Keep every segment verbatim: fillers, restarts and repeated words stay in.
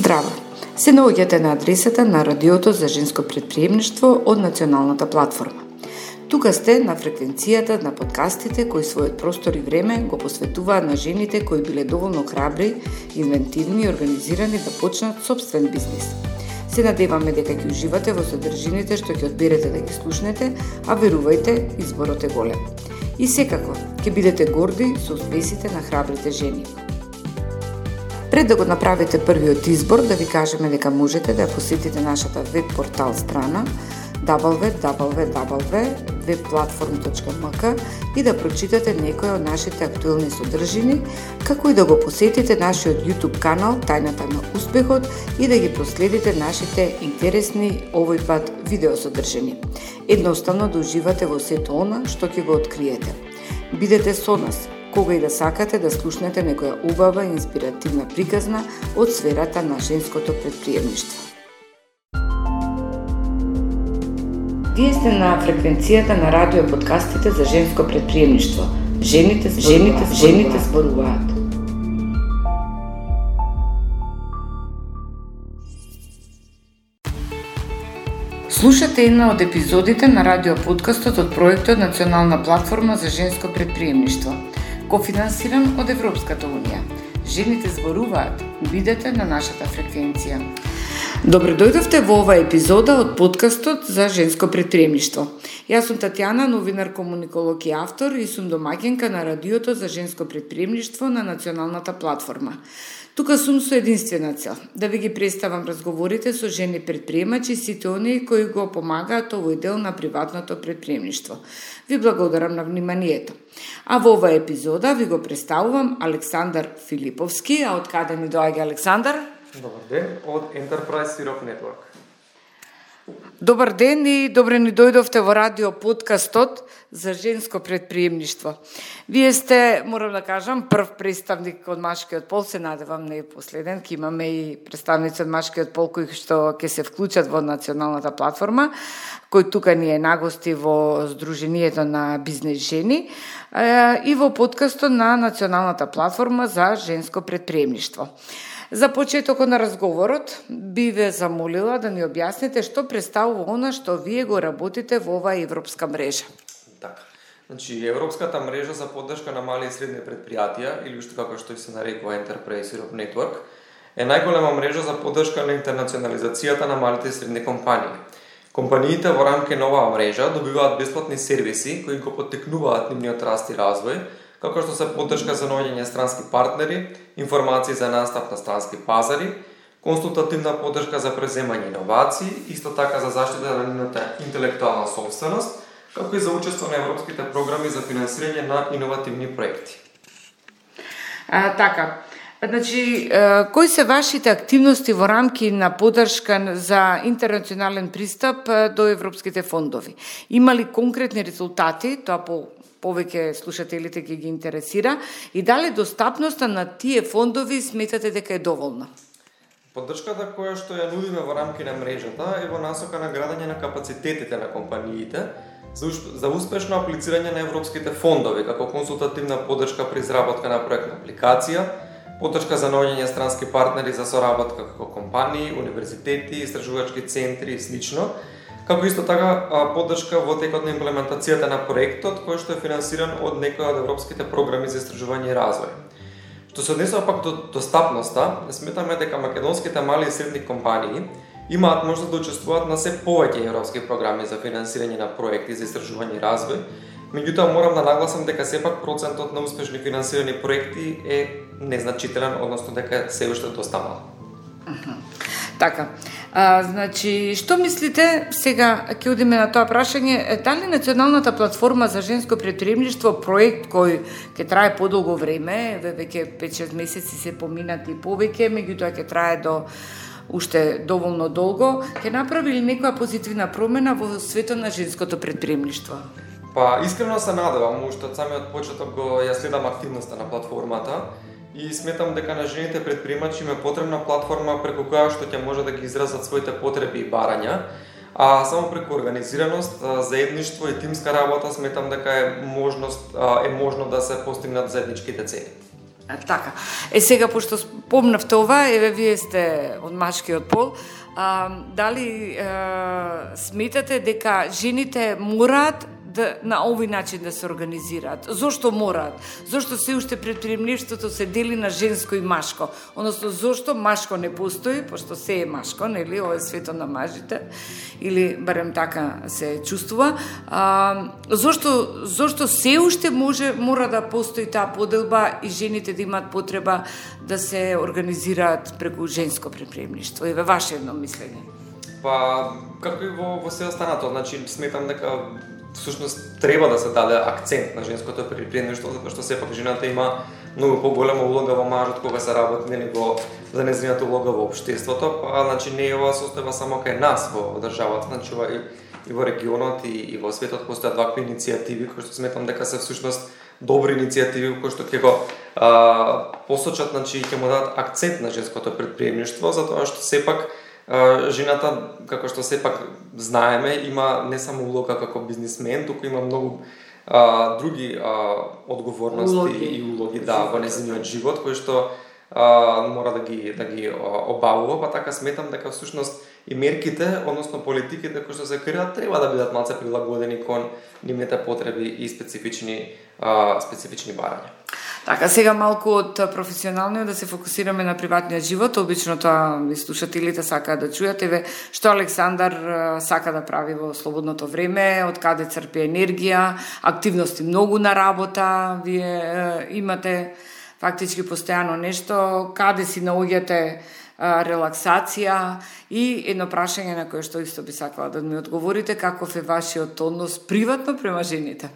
Здраво! Се наоѓате на адресата на Радиото за женско претприемништво од Националната платформа. Тука сте на фреквенцијата на подкастите кои својот простор и време го посветуваат на жените кои биле доволно храбри, инвентивни и организирани да почнат собствен бизнис. Се надеваме дека ќе уживате во содржините што ќе одберете да ги слушнете, а верувајте, изборот е голем. И секако, ќе бидете горди со успесите на храбрите жени. Пред да го направите првиот избор, да ви кажеме дека можете да посетите нашата веб портал страна дабл ю дабл ю дабл ю точка веб платформ точка ем ка и да прочитате некои од нашите актуелни содржини, како и да го посетите нашиот YouTube канал Тајната на успехот и да ги проследите нашите интересни овој пат видеосодржини. Едноставно да уживате во сето она што ќе го откриете. Бидете со нас кога и да сакате да слушнете некоја убава и инспиративна приказна од сферата на женското претприемништво. Вие сте на фреквенцијата на радио подкастите за женско претприемништво. Жените, жените, жените зборуваат. Слушате една од епизодите на радио подкастот од проектот Национална платформа за женско претприемништво, кофинансиран од Европската унија. Жените зборуваат. Бидете на нашата фреквенција. Добре дојдовте во оваа епизода од подкастот за женско претприемништво. Јас сум Татјана, новинар, комуниколог и автор и сум домаќинка на Радиото за женско претприемништво на Националната платформа. Тука сум со единствена цел, да ви ги представам разговорите со жени претприемачи и сите оние кои го помагаат овој дел на приватното претприемништво. Ви благодарам на вниманието. А во оваа епизода ви го представувам Александар Филиповски, а од каде ни доаѓа Александар? Добар ден, од Enterprise Europe Network. Добар ден и добре ни дојдовте во радио подкастот за женско претприемништво. Вие сте, морам да кажам, прв представник од машкиот пол, се надевам не е последен, ќе имаме и представници од машкиот пол кои што ќе се вклучат во Националната платформа, кој тука ни е нагости во Сдруженијето на бизнес жени и во подкастот на Националната платформа за женско претприемништво. За почетокот на разговорот би ве замолила да ни објасните што представува она што вие го работите во оваа европска мрежа. Така. Значи, Европската мрежа за поддршка на мали и средни предпријатија, или уште како што се нарекува Enterprise Europe Network, е најголема мрежа за поддршка на интернационализацијата на малите и средни компании. Компаниите во рамки на оваа мрежа добиваат бесплатни сервиси кои го поттикнуваат нивниот раст и развој, како што се поддршка за наоѓање странски партнери, информации за настап на странски пазари, консултативна поддршка за преземање иновации, исто така за заштита на нивната интелектуална собственост, како и за учество на европските програми за финансирање на иновативни проекти. А, така, значи, кои се вашите активности во рамки на поддршка за интернационален пристап до европските фондови? Има ли конкретни резултати, тоа по повеќе слушателите ќе ги интересира, и дали достапноста на тие фондови сметате дека е доволна? Поддршката која што ја нудиме во рамки на мрежата е во насока на градење на капацитетите на компаниите за успешно аплицирање на европските фондови, како консултативна поддршка при изработка на проектна апликација, поддршка за наоѓање странски партнери за соработка како компании, универзитети, истражувачки центри и слично, како исто така поддршка во текот на имплементацијата на проектот кој што е финансиран од некои од европските програми за истражување и развој. Што се однесува пак до достапноста, сметаме дека македонските мали и средни компании имаат можност да учествуваат на се повеќе европски програми за финансирање на проекти за истражување и развој. Меѓутоа морам да нагласам дека сепак процентот на успешни финансирани проекти е незначителен, односно дека се уште доста мал. Така, а, значи, што мислите, сега ќе одиме на тоа прашање, дали Националната платформа за женско претприемништво, проект кој ќе трае подолго време, веќе пет-шест месеци се поминати и повеќе, меѓутоа ќе трае до уште доволно долго, ќе направи ли некоја позитивна промена во светот на женското претприемништво? Па, искрено се надевам, уште од самиот почеток го ја следам активноста на платформата, и сметам дека на жените претприемачи им е потребна платформа преку која што ќе може да ги изразат своите потреби и барања, а само преку организираност, заедништво и тимска работа сметам дека е можност е можно да се постигнат заедничките цели. А, така. Е сега пошто спомнавте ова, еве вие сте од машкиот пол, а, дали а, сметате дека жените мораат да, на овој начин да се организираат? Зошто мораат? Зошто се уште предприемништвото се дели на женско и машко? Односно, зошто машко не постои, пошто се е машко, нели, ова е свето на мажите, или барем така се чувствува. А, зошто, зошто се уште може, мора да постои таа поделба и жените да имаат потреба да се организираат преку женско предприемништво? Еве ваше едно мислење. Па, како и во, во се останато, значи, сметам дека всушност треба да се даде акцент на женското предприемништво, затоа што сепак жената има многу поголема улога во мажот кога се работи, нели, во за незината улога во општеството, па значи не е ова состојба само кај нас во државата, значи ова и, и во регионот и, и во светот постојат вакви иницијативи кои што сметам дека се всушност добри иницијативи кои што ќе го а, посочат, значи ќе му дадат акцент на женското предприемништво, затоа што сепак жената, како што сепак знаеме, има не само улога како бизнисмен, туку има многу а, други а, одговорности улоги. и улоги да, во незиниот живот, кои што а, мора да ги да ги обавува, па така сметам дека всушност и мерките, односно политиките кои што се креаат, треба да бидат малце прилагодени кон нивните потреби и специфични а, специфични барања. Така, сега малку од професионалниот да се фокусираме на приватниот живот. Обично тоа и слушателите сакаат да чујат, еве што Александар сака да прави во слободното време, од каде црпи енергија, активности многу на работа, вие е, имате фактички постојано нешто, каде си наоѓате е, релаксација и едно прашање на кое што исто би сакала да ми одговорите, каков е вашиот однос приватно према жените?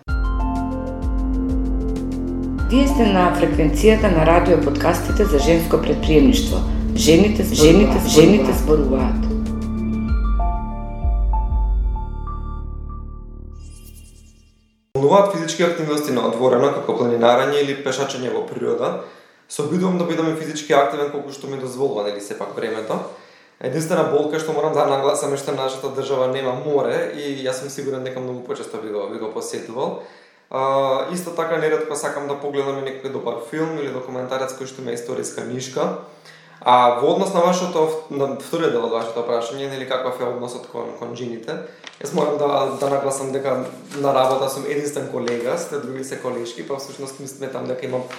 Вие сте на фреквенцијата на радио подкастите за женско предприемништво. Жените, жените, жените зборуваат. Волнуваат физички активности на отворено, како планинарење или пешачење во природа. Се обидувам да бидам физички активен колку што ми дозволува, нели сепак времето. Единствена болка што морам да нагласам е што нашата држава нема море и јас сум сигурен дека многу почесто би го, би го посетувал. Uh, исто така неретко сакам да погледам и некој добар филм или документарец кој што ме историска нишка. А во однос на вашето, на вториот дел од вашето прашање, нели каков е односот кон, кон жените, јас морам да, да нагласам дека на работа сум единствен колега, сте други се колешки, па всушност сметам дека имам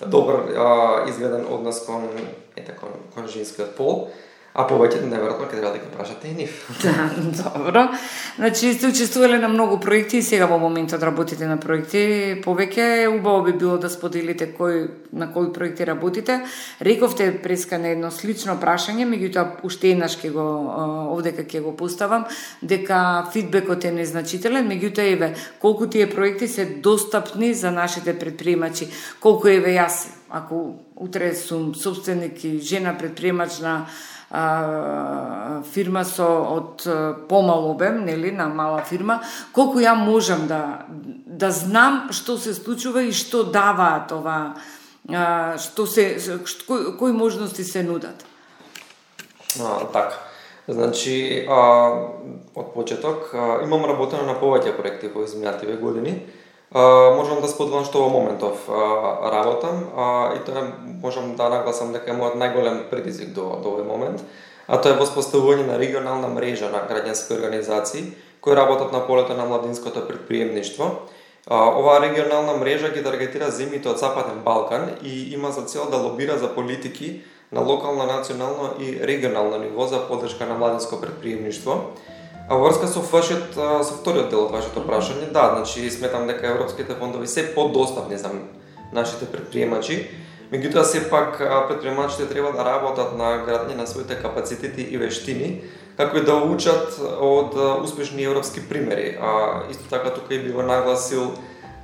добар а, изгледан однос кон, ете, кон, кон женскиот пол. А повеќе неверојатно ќе треба да ги прашате и нив. Да, добро. Значи сте учествувале на многу проекти и сега во моментот работите на проекти. Повеќе убаво би било да споделите кој на кои проекти работите. Рековте преска на едно слично прашање, меѓутоа уште еднаш ќе го овдека ќе го поставам, дека фидбекот е незначителен, меѓутоа еве колку тие проекти се достапни за нашите предприемачи. Колку еве јас, ако утре сум собственик и жена предприемач на А, фирма со од помал обем, нели, на мала фирма, колку ја можам да да знам што се случува и што даваат ова, а, што се што, кои, кои можности се нудат. А, така. Значи, а, од почеток а, имам работено на повеќе проекти во изминативе години. Uh, можам да споделам што во моментов uh, работам uh, и тоа можам да нагласам дека е мојот најголем предизвик до, до овој момент, а тоа е воспоставување на регионална мрежа на граѓански организации кои работат на полето на младинското предприемништво. Uh, оваа регионална мрежа ги таргетира земјите од Западен Балкан и има за цел да лобира за политики на локално, национално и регионално ниво за поддршка на младинско предприемништво. А врска со вашиот, со вториот дел од вашето прашање, да, значи сметам дека европските фондови се подостапни за нашите предприемачи. Меѓутоа сепак предприемачите треба да работат на градење на своите капацитети и вештини, како и да учат од успешни европски примери. А исто така тука и би го нагласил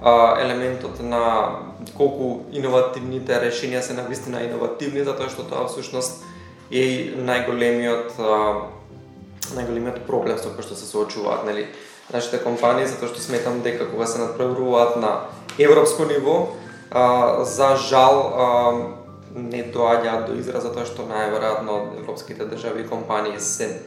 а, елементот на колку иновативните решенија се навистина иновативни, затоа што тоа всушност е најголемиот а, најголемиот проблем со кој што се соочуваат, нели, нашите компании, затоа што сметам дека кога се надпреваруваат на европско ниво, а, за жал а, не доаѓаат до израз затоа што најверојатно европските држави и компании се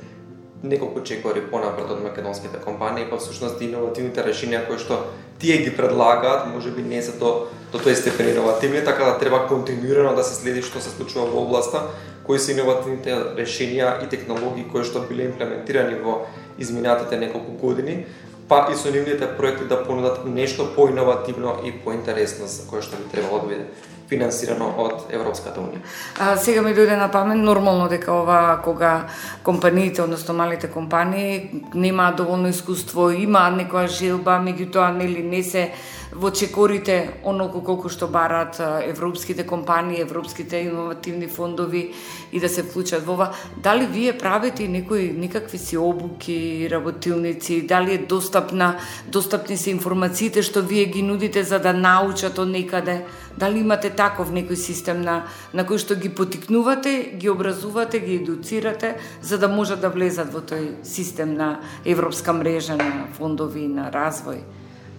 неколку чекори понапред од македонските компании, па всушност иновативните решенија кои што тие ги предлагаат, можеби не се до до тој степен иновативни, така да треба континуирано да се следи што се случува во областа, кои се иновативните решенија и технологии кои што биле имплементирани во изминатите неколку години, па и со нивните проекти да понудат нешто поиновативно и поинтересно за кое што би требало да биде финансирано од Европската унија. А, сега ми дојде на памет нормално дека ова кога компаниите, односно малите компании немаат доволно искуство, имаат некоја желба, меѓутоа нели не се во чекорите оноку колку што бараат европските компании, европските иновативни фондови и да се вклучат во ова. Дали вие правите некои некакви си обуки, работилници, дали е достапна, достапни се информациите што вие ги нудите за да научат од некаде? Дали имате таков некој систем на, на кој што ги потикнувате, ги образувате, ги едуцирате, за да можат да влезат во тој систем на европска мрежа на фондови на развој?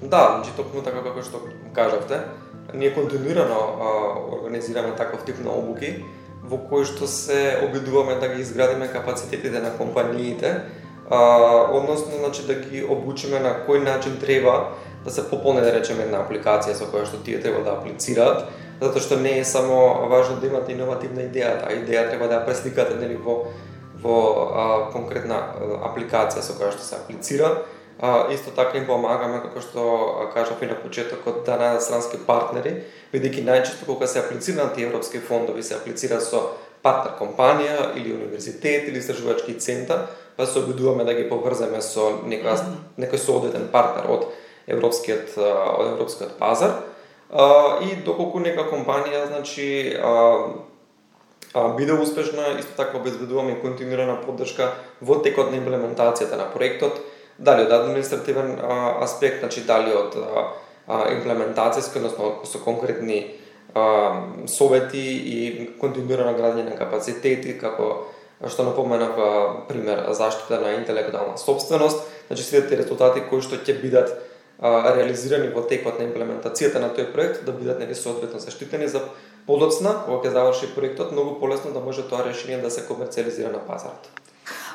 Да, значи токму така како што кажавте, ние континуирано а, организираме таков тип на обуки, во кои што се обидуваме да ги изградиме капацитетите на компаниите, а, односно значи да ги обучиме на кој начин треба да се пополни, да речеме, една апликација со која што тие треба да аплицираат, затоа што не е само важно да имате иновативна идеја, а идеја треба да ја пресликате нели во во а, конкретна апликација со која што се аплицира. А, исто така им помагаме, како што кажав и на почетокот, да најдат странски партнери, бидејќи најчесто кога се аплицираат тие европски фондови, се аплицира со партнер компанија или универзитет или истражувачки центар, па се обидуваме да ги поврземе со некој некој соодветен партнер од европскиот од европскиот пазар. А, и доколку нека компанија, значи, а, а, биде успешна, исто така обезбедуваме и континуирана поддршка во текот на имплементацијата на проектот, дали од административен а, аспект, значи дали од а, имплементацијски, односно со конкретни а, совети и континуирано градење на капацитети, како што напоменав, пример, заштита на интелектуална собственост, значи сите резултати кои што ќе бидат а, реализирани во текот на имплементацијата на тој проект, да бидат нели соодветно заштитени за подоцна, кога ќе заврши проектот, многу полесно да може тоа решение да се комерцијализира на пазарот.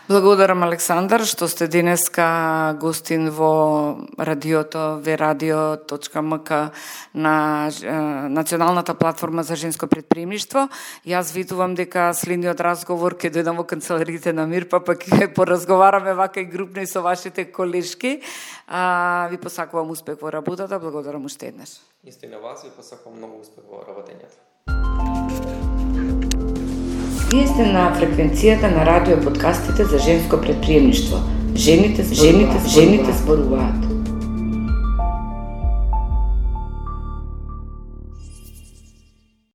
Благодарам, Александар, што сте денеска гостин во радиото ве радио точка ем ка на е, Националната платформа за женско предприемништво. Јас видувам дека следниот разговор ќе дојдам во канцелариите на МИР, па пак ќе поразговараме вака и групно и со вашите колешки. А, ви посакувам успех во работата, благодарам уште еднаш. Исто и на вас ви посакувам многу успех во работењето. Вие сте на фреквенцијата на радио подкастите за женско предприемништво. Жените, жените, жените зборуваат.